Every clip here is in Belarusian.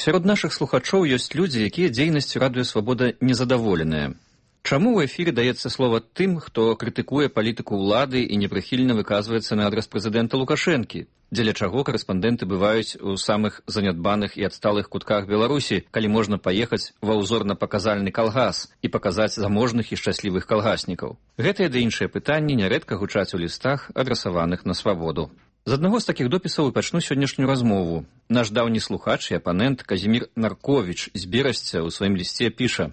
Сярод нашых слухачоў ёсць людзі, якія дзейнасцю Радыё Свабода незадаволеныя. Чаму ў эфіры даецца слова тым, хто крытыкуе палітыку ўлады і непрыхільна выказваецца на адрас прэзідэнта Лукашэнкі, дзеля чаго карэспандэнты бываюць у самых занядбаных і адсталых кутках Беларусі, калі можна паехаць ва ўзорна-паказальны калгас і паказаць заможных і шчаслівых калгаснікаў? Гэтыя ды іншыя пытанні нярэдка гучаць у лістах, адрасаваных на свабоду. З аднаго з такіх допісаў і пачну сённяшнюю размову. Наш даўні слухач і апанент Казімір Нарковіч з Берасця ў сваім лісце піша: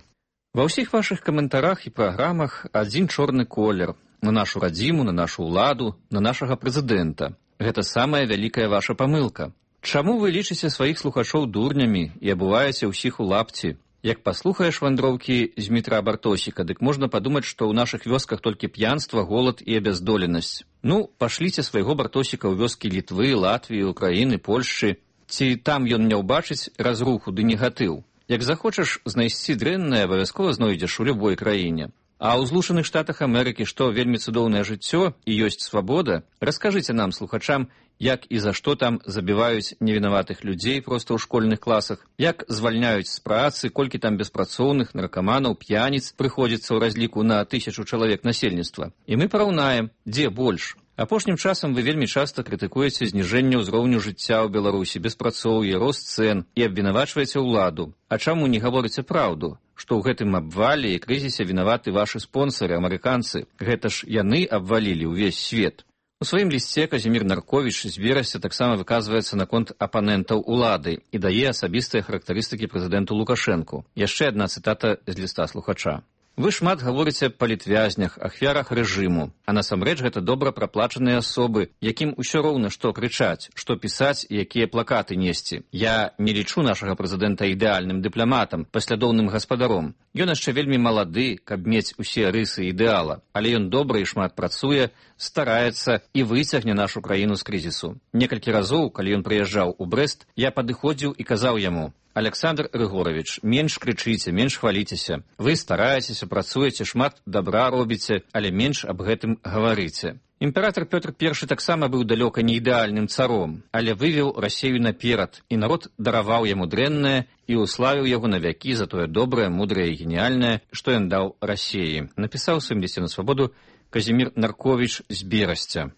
«Ва ўсіх вашых каментарах і праграмах адзін чорны колер на нашу радзіму, на нашу ўладу, на нашага прэзідэнта. Гэта самая вялікая ваша памылка. Чаму вы лічыце сваіх слухачоў дурнямі і абуваеце ўсіх у лапці? Як паслухаеш вандроўкі Змітра Бартосіка, дык можна падумаць, што ў нашых вёсках толькі п'янства, голад і абяздоленасць. Ну, пашліце свайго Бартосіка ў вёскі Літвы, Латвіі, Украіны, Польшчы. Ці там ён не ўбачыць разруху ды негатыў? Як захочаш знайсці дрэннае, абавязкова знойдзеш у любой краіне. А ў Злучаных Штатах Амерыкі, што вельмі цудоўнае жыццё і ёсць свабода, раскажыце нам, слухачам, як і за што там забіваюць невінаватых людзей проста ў школьных класах, як звальняюць з працы, колькі там беспрацоўных, наркаманаў, п'яніц прыходзіцца ў разліку на 1000 чалавек насельніцтва. І мы параўнаем, дзе больш. Апошнім часам вы вельмі часта крытыкуеце зніжэнне ўзроўню жыцця ў Беларусі, беспрацоўе, рост цэн і абвінавачваеце ўладу. А чаму не гаворыце праўду, што ў гэтым абвале і крызісе вінаваты вашы спонсары, амерыканцы? Гэта ж яны абвалілі ўвесь свет. У сваім лісце Казімір Нарковіч з Берасця таксама выказваецца наконт апанентаў улады і дае асабістыя характарыстыкі прэзідэнту Лукашэнку. Яшчэ адна цытата з ліста слухача. Вы шмат гаворыце аб палітвязнях, ахвярах рэжыму, а насамрэч гэта добра праплачаныя асобы, якім усё роўна што крычаць, што пісаць і якія плакаты несці. Я не лічу нашага прэзідэнта ідэальным дыпламатам, паслядоўным гаспадаром. Ён яшчэ вельмі малады, каб мець усе рысы ідэала, але ён добра і шмат працуе, стараецца і выцягне нашу краіну з крызісу. Некалькі разоў, калі ён прыязджаў у Брэст, я падыходзіў і казаў яму: «Александр Рыгорович, менш крычыце, менш хваліцеся. Вы стараецеся, працуеце, шмат добра робіце, але менш аб гэтым гаварыце». Імператор Пётр I таксама быў далёка не ідэальным царом, але вывеў Расею наперад, і народ дараваў яму дрэннае і уславіў яго на вякі за тое добрае, мудрае і геніяльнае, што ён даў Расеі. Напісаў у сваім лісце на свабоду Казімір Нарковіч з Берасця.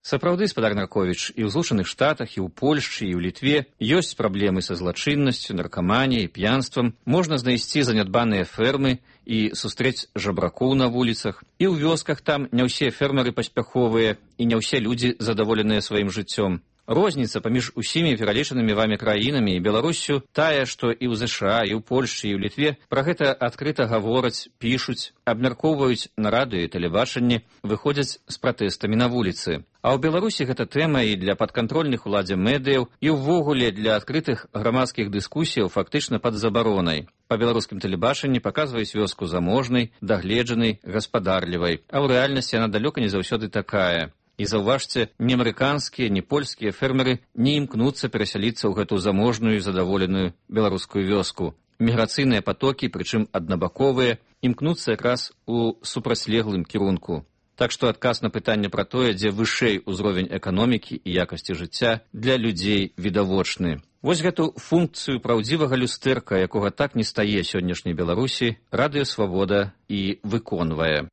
Сапраўды, спадар Нарковіч, і ў Злучаных Штатах, і ў Польшчы, і ў Літве ёсць праблемы са злачыннасцю, наркаманіяй, п'янствам. Можна знайсці занядбаныя фермы і сустрэць жабракоў на вуліцах. І ў вёсках там не ўсе фермеры паспяховыя, і не ўсе людзі задаволеныя сваім жыццём. Розніца паміж усімі пералічанымі вамі краінамі і Беларуссю тая, што і ў ЗША, і ў Польшчы, і ў Літве пра гэта адкрыта гавораць, пішуць, абмяркоўваюць на радыё і тэлебачанні, выходзяць з пратэстамі на вуліцы. А ў Беларусі гэта тэма і для падкантрольных уладзе медыяў, і ўвогуле для адкрытых грамадскіх дыскусіяў фактычна пад забаронай. Па беларускім тэлебачанні паказваюць вёску заможнай, дагледжанай, гаспадарлівай, а ў рэальнасці яна далёка не заўсёды такая. І заўважце, ні амерыканскія, ні польскія фермеры не імкнуцца перасяліцца ў гэту заможную і задаволеную беларускую вёску. Міграцыйныя патокі, прычым аднабаковыя, імкнуцца якраз у супрацьлеглым кірунку. Так што адказ на пытанне пра тое, дзе вышэй узровень эканомікі і якасці жыцця, для людзей відавочны. Вось гэту функцыю праўдзівага люстэрка, якога так не стае сённяшняй Беларусі, Радыё Свабода і выконвае.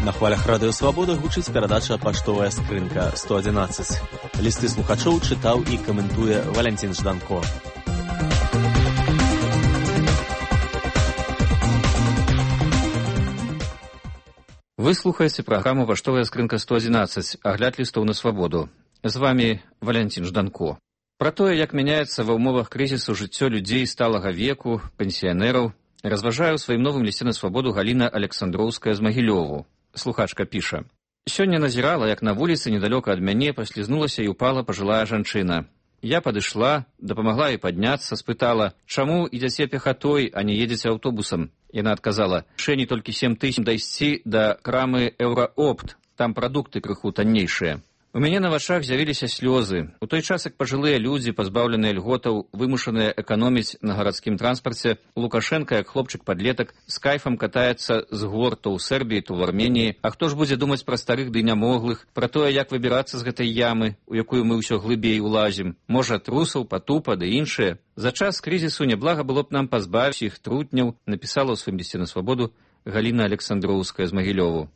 На хвалях Радыё Свабода гучыць перадача «Паштовая скрынка 111». Лісты слухачоў чытаў і каментуе Валянцін Жданко. Вы слухаеце праграму «Паштовая скрынка 111», агляд лістоў на свабоду. З вамі Валянцін Жданко. Пра тое, як мяняецца ва ўмовах крызісу жыццё людзей сталага веку, пенсіянераў, разважае ў сваім новым лісце на свабоду Галіна Александроўская з Магілёву. Слухачка піша: «Сёння назірала, як на вуліцы недалёка ад мяне паслізнулася і упала пажылая жанчына. Я падышла, дапамагла ёй падняцца, спытала: чаму ідзяце пехатой, а не едзеце аўтобусам? Яна адказала: шэні толькі 7 000 дайсці да крамы Еўраопт, там прадукты крыху таннейшыя. У мяне на вачах з'явіліся слёзы. У той час, як пажылыя людзі, пазбаўленыя льготаў, вымушаныя эканоміць на гарадскім транспарце, Лукашенка, як хлопчык-падлетак, з кайфам катаецца з гор то ў Сербіі, то ў Арменіі. А хто ж будзе думаць пра старых ды нямоглых, пра тое, як выбірацца з гэтай ямы, у якую мы ўсё глыбей улазім? Можа, трусаў, патупа ды іншыя? За час крызісу няблага было б нам пазбавіць іх трутняў, напісала ў сваім лісце на свабоду Галіна Александроўская з Магілёву.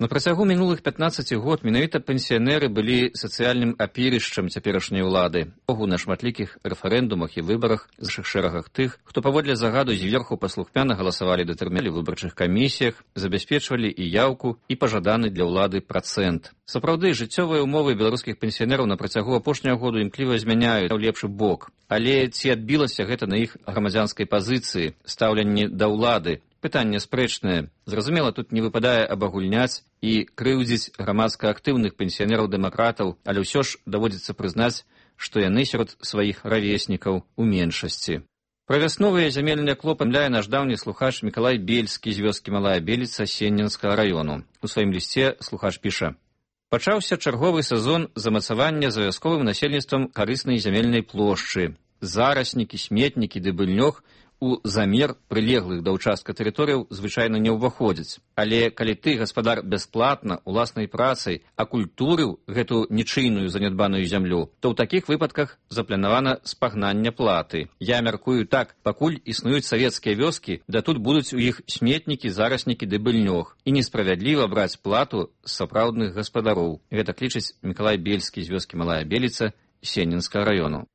На працягу мінулых 15 год менавіта пенсіянеры былі сацыяльным апірышчам цяперашняй улады. Богу на шматлікіх рэферэндумах і выбарах з нашых шэрагах тых, хто паводле загаду зверху паслухмяна галасавалі датэрміналі ў выбарчых камісіях, забяспечвалі і яўку, і пажаданы для ўлады працэнт. Сапраўды, жыццёвыя ўмовы беларускіх пенсіянераў на працягу апошняга году імкліва змяняюць ў лепшы бок. Але ці адбілася гэта на іх грамадзянскай пазіцыі, стаўленні да ўлады? Пытанне спрэчнае. Зразумела, тут не выпадае абагульняць і крыўдзіць грамадска актыўных пенсіянераў-дэмакратаў, але ўсё ж даводзіцца прызнаць, што яны сярод сваіх равеснікаў у меншасці. Пра вясновыя зямельныя клопы памятае наш даўні слухач Мікалай Бельскі з вёскі Малая Беліца Сенненскага раёну. У сваім лісце слухач піша: «Пачаўся чарговы сезон замацавання за вясковым насельніцтвам карыснай зямельнай плошчы. Зараснікі, сметнікі ды быльнёг у замер прылеглых да ўчастка тэрыторыяў звычайна не ўваходзяць. Але калі ты, гаспадар, бясплатна, уласнай працай акультурыў гэту нічыйную занядбаную зямлю, то ў такіх выпадках запланавана спагнання платы. Я мяркую так, пакуль існуюць савецкія вёскі, да тут будуць у іх сметнікі, зараснікі ды быльнёг. І несправядліва браць плату з сапраўдных гаспадароў». Гэта лічыць Мікалай Бельскі з вёскі Малая Беліца Сенненскага раёну.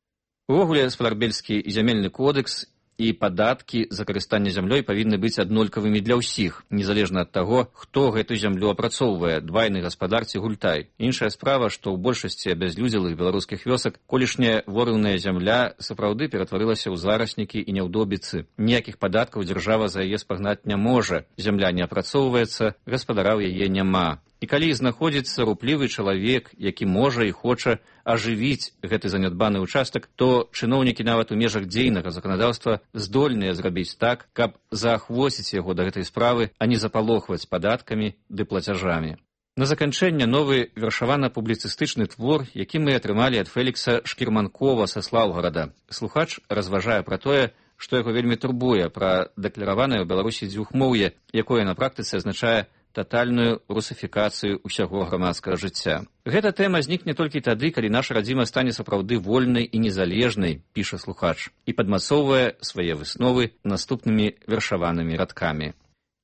Увогуле, гаспадар Бельскі, і зямельны кодекс, і падаткі за карыстанне зямлёй павінны быць аднолькавымі для ўсіх, незалежна ад таго, хто гэту зямлю апрацоўвае, двайны гаспадар ці гультай. Іншая справа, што ў большасці абязлюдзелых беларускіх вёсак колішняя ворыўная зямля сапраўды ператварылася ў зараснікі і няўдобіцы. Ніякіх падаткаў дзяржава за яе спагнаць не можа. Зямля не апрацоўваецца, гаспадара ў яе няма. І калі знаходзіцца руплівы чалавек, які можа і хоча ажывіць гэты занядбаны ўчастак, то чыноўнікі нават у межах дзейнага заканадаўства здольныя зрабіць так, каб заахвоціць яго да гэтай справы, а не запалохваць падаткамі ды плацяжамі. На заканчэнне новы вершавана-публіцыстычны твор, які мы атрымалі ад Фелікса Шкірманкова са Слаўгарада. Слухач разважае пра тое, што яго вельмі турбуе, пра дэклараванае ў Беларусі дзвюхмоўе, якое на практыцы азначае татальную русафікацыю ўсяго грамадскага жыцця. Гэта тэма знікне толькі тады, калі наша радзіма стане сапраўды вольнай і незалежнай, піша слухач, і падмацоўвае свае высновы наступнымі вершаванымі радкамі.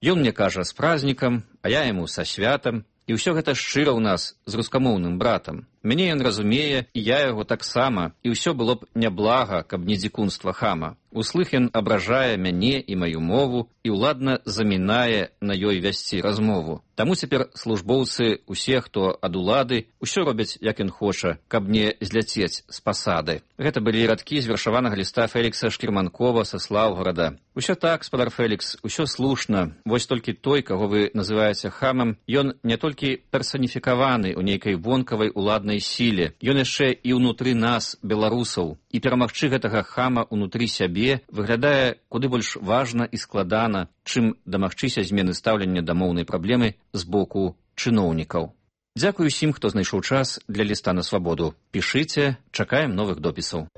Ён мне кажа з празднікам, а я яму са святам, і ўсё гэта шчыра ў нас з рускамоўным братам. Мяне ён разумее, і я яго таксама, і ўсё было б няблага, каб не дзікунства хама. Услых ён абражае мяне і маю мову і ўладна замінае на ёй вясці размову. Таму цяпер службоўцы, усе, хто ад улады, усё робяць, як ён хоча, каб не зляцець з пасады. Гэта былі радкі з вершаванага ліста Фелікса Шкірманкова са Слаўгарада. Усё так, спадар Фелікс, усё слушна. Вось толькі той, каго вы называеце хамам, ён не толькі персаніфікаваны ў нейкай вонкавай уладнай сіле, ён яшчэ і ўнутры нас, беларусаў. І перамагчы гэтага хама ўнутры сябе выглядае куды больш важна і складана, чым дамагчыся змены стаўлення да моўнай праблемы з боку чыноўнікаў. Дзякую усім, хто знайшоў час для ліста на свабоду. Пішыце, чакаем новых допісаў.